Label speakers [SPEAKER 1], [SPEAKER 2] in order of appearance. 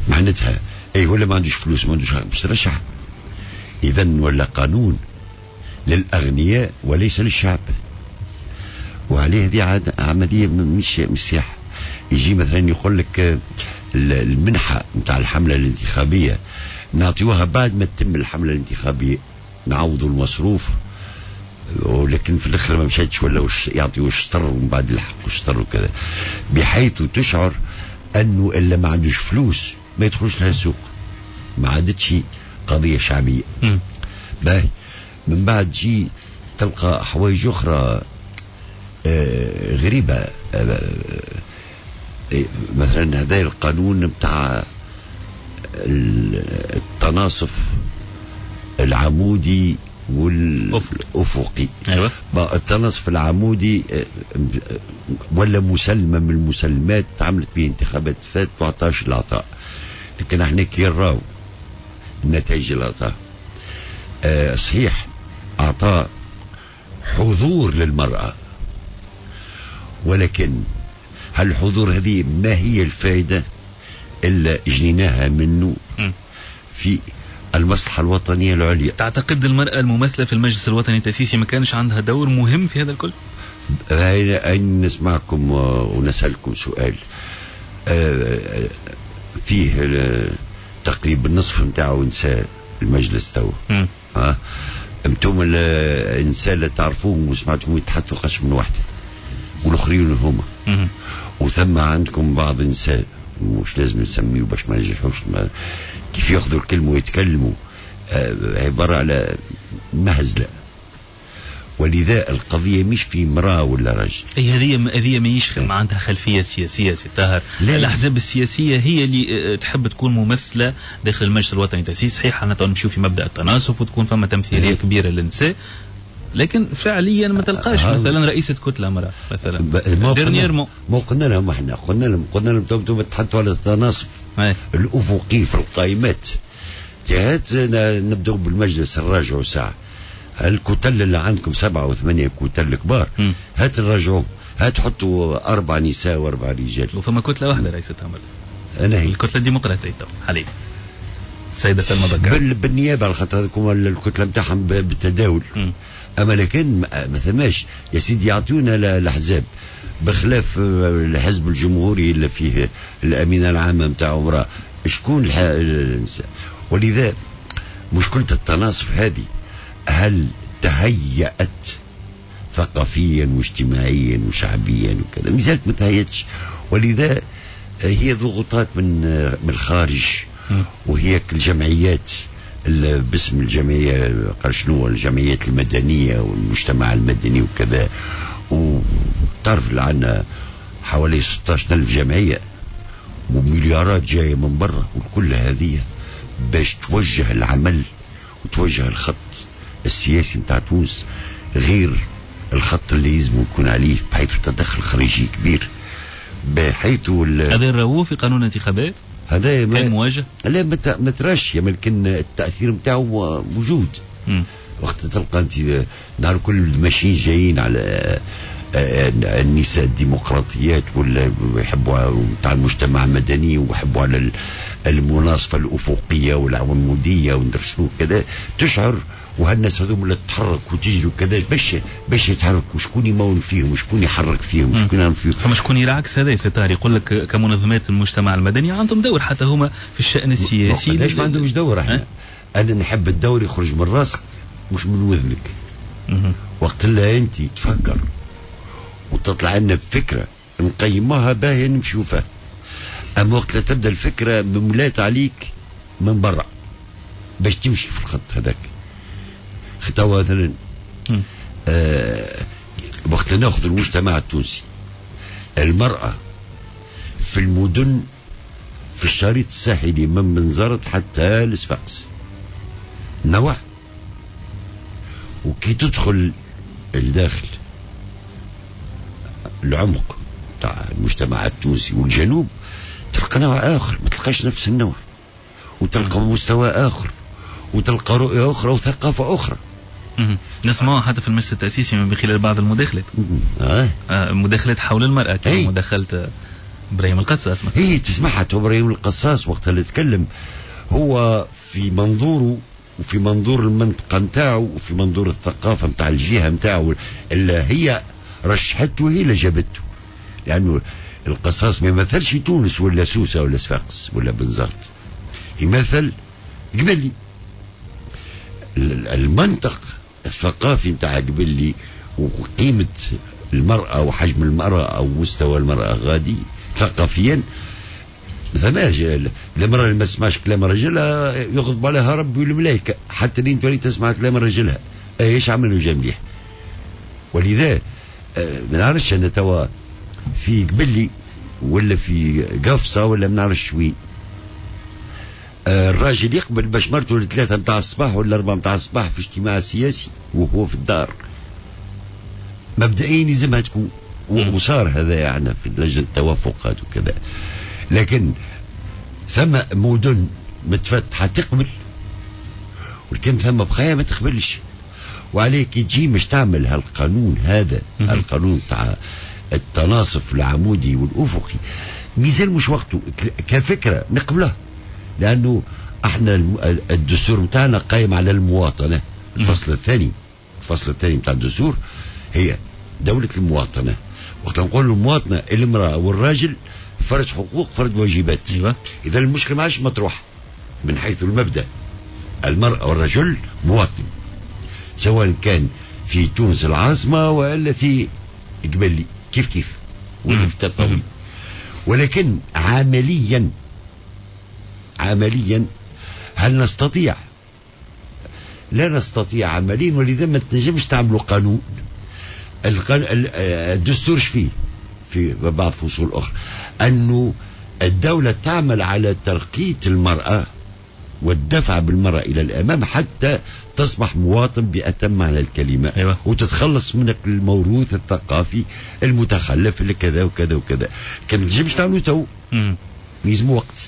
[SPEAKER 1] معناتها اي ولا ما عندوش فلوس ما عندوش باش ترشح. اذا ولا قانون للاغنياء وليس للشعب، وعليه هذه عملية مش سياحة. يجي مثلا يقول لك المنحة نتاع الحملة الانتخابية نعطيوها بعد ما تتم الحملة الانتخابية، نعوضوا المصروف، ولكن في الاخر ما مشاتش ولا يعطيو الشطر ومن بعد يلحقوا الشطر وكذا، بحيث تشعر انه اللي ما عندوش فلوس ما يدخلش لها السوق، ما عادتش قضية شعبية. باهي من بعد جي تلقى حوايج اخرى غريبة، مثلا هذا القانون بتاع التناصف العمودي والافقي.
[SPEAKER 2] أيوة.
[SPEAKER 1] التناصف العمودي ولا مسلمة من المسلمات تعملت به انتخابات فات وعطاش العطاء، لكن احنا كي نراو النتائج اللي عطاه صحيح اعطاه حضور للمرأة، ولكن هل الحضور هذه ما هي الفائدة اللي جنيناها منه في المصلحة الوطنية العليا؟
[SPEAKER 2] تعتقد المرأة الممثلة في المجلس الوطني التأسيسي ما كانش عندها دور مهم في هذا الكل؟
[SPEAKER 1] أين نسمعكم ونسألكم سؤال فيه تقريبا النصف نتاعو نساء المجلس تو. انتم النساء اللي تعرفوهم وسمعتهم يتحدثوا قش من واحدة والاخرين هما. وثم عندكم بعض النساء مش لازم نسميه باش ما نجرحوش، كيف ياخذوا الكلمة ويتكلموا عبارة على مهزله. ولذا القضية مش في امراة ولا رجل.
[SPEAKER 2] اي هذه ماهيش ما عندها خلفية سياسية سي طاهر. الاحزاب السياسية هي اللي تحب تكون ممثلة داخل المجلس الوطني التاسيسي. صحيح احنا نمشيو في مبدا التناصف وتكون فما تمثيلية كبيرة للنساء، لكن فعليا ما تلقاش مثلا رئيسة كتلة امرأة مثلا.
[SPEAKER 1] dernièrement ما قلنا لهم احنا، قلنا لهم انتم تحطوا على التناصف الافقي في القائمات. هات نبداو بالمجلس نراجعوا ساعة الكتل اللي عندكم 7 و8 كتل كبار، هات نراجعوهم، هات حطوا 4 نساء و4 رجال.
[SPEAKER 2] وفما كتلة واحدة رئيسة امرأة،
[SPEAKER 1] انا هي
[SPEAKER 2] الكتلة الديمقراطية حاليا السيدة سلمى بكر
[SPEAKER 1] بالنيابة، على خاطر هذوك الكتلة نتاعهم بالتداول. اما لكن ما ثماش يا سيدي يعطونا الاحزاب، بخلاف الحزب الجمهوري اللي فيه الامينة العامة نتاع امراة، شكون النساء؟ ولذا مشكلة التناصف هذه هل تهيأت ثقافيا واجتماعيا وشعبيا وكذا؟ ما زالت ما تهيأتش. ولذا هي ضغوطات من الخارج، وهي الجمعيات باسم الجمعية قال شنو الجمعيات المدنية والمجتمع المدني وكذا. وتعرف اللي عندنا حوالي 16,000 جمعية ومليارات جاية من برا، وكل هذه باش توجه العمل وتوجه الخط السياسي نتاع تونس غير الخط اللي يلزم يكون عليه، بحيث تدخل خارجي كبير، بحيث
[SPEAKER 2] هذا نراوه في قانون الانتخابات
[SPEAKER 1] هذا
[SPEAKER 2] كان مواجه؟
[SPEAKER 1] لا ما تراش، لكن التاثير نتاعو موجود. وقت تلقى انت نهار كل ماشيين جايين على النساء الديمقراطيات ولا يحبوا نتاع المجتمع المدني ويحبوا على المناصفه الافقية والعموديه وندر شنو كذا، تشعر وهالناس هذوم اللي تتحرك وتجري وكذا باش يتحركوا، شكون يمول فيهم، شكون يحرك فيهم، شكون يعمل فيهم.
[SPEAKER 2] فما شكون يلعكس هذا يا سي طاهر، يقول لك كمنظمات المجتمع المدني عندهم دور حتى هما في الشأن السياسي.
[SPEAKER 1] ليش ما عندهمش دور؟ احنا انا نحب الدور يخرج من راسك مش من وذنك. وقت اللي انت تفكر وتطلع لنا بفكره نقيموها باهيه نمشيو فيها، اما وقت تبدا الفكرة مملات عليك من برا باش تمشي في الخط هذاك. توا مثلا وقت ناخذ المجتمع التونسي، المرأة في المدن في الشريط الساحلي من بنزرت حتى لصفاقس نوع، وكي تدخل الداخل العمق تاع المجتمع التونسي والجنوب تلقى نوع آخر، ما تلقاش نفس النوع، وتلقى مستوى آخر، وتلقى رؤية أخرى وثقافة أخرى.
[SPEAKER 2] نسمعها حتى في المجلس التأسيسي من خلال بعض المداخلات. مداخلات حول المرأة كما مداخلة ابراهيم القصاص مثلا.
[SPEAKER 1] هي تسمعها ابراهيم القصاص وقت اللي تكلم هو في منظوره وفي منظور المنطقة نتاعو وفي منظور الثقافة نتاع الجهة نتاعو اللي هي رشحته هي اللي جابته، لأنه القصاص ما يمثلش تونس ولا سوسة ولا صفاقس ولا بنزرت، يمثل قبلي. المنطق الثقافي نتاع قبلي وقيمة المرأة وحجم المرأة أو مستوى المرأة غادي ثقافيا ثماش. المرأة اللي ما تسمعش كلام رجلها يغضب عليها ربي والملائكة، حتى لين تولي تسمع كلام رجلها ايش عملوا جا مليح. ولذا ما نعرفش انا توا في قبلي ولا في قفصة ولا ما نعرفش وين الراجل يقبل باش مرته 3 متاع الصباح ولا 4 متاع الصباح في اجتماع سياسي وهو في الدار. مبدئيا لازمها تكون، وصار هذا يعني في لجنة التوافقات وكذا، لكن ثم مدن متفتحة تقبل، ولكن ثم بقايا ما تقبلش. وعليك تجي مش تعمل هالقانون هذا، القانون تاع التناصف العمودي والأفقي، ميزان مش وقته كفكرة نقبلها، لأنه احنا الدستور متاعنا قايم على المواطنة. الفصل الثاني، الفصل الثاني متاع الدستور هي دولة المواطنة. وقت نقول المواطنة المرأة والراجل فرد حقوق فرد واجبات.
[SPEAKER 2] أيوة.
[SPEAKER 1] إذا المشكلة ما عادش مطروحة من حيث المبدأ، المرأة والرجل مواطن سواء كان في تونس العاصمة ولا في قبلي كيف كيف ولا في تطاوين. ولكن عمليا، عمليا هل نستطيع؟ لا نستطيع عمليا، ولذا ما تنجمش تعملوا قانون. الدستور فيه في بعض فصول أخرى أنه الدولة تعمل على ترقية المرأة والدفع بالمرأة إلى الأمام حتى تصبح مواطن بأتم معنى الكلمة.
[SPEAKER 2] أيوة.
[SPEAKER 1] وتتخلص من الموروث الثقافي المتخلف اللي كذا وكذا وكذا. كان تنجمش تعملوا تو، يلزموا وقت.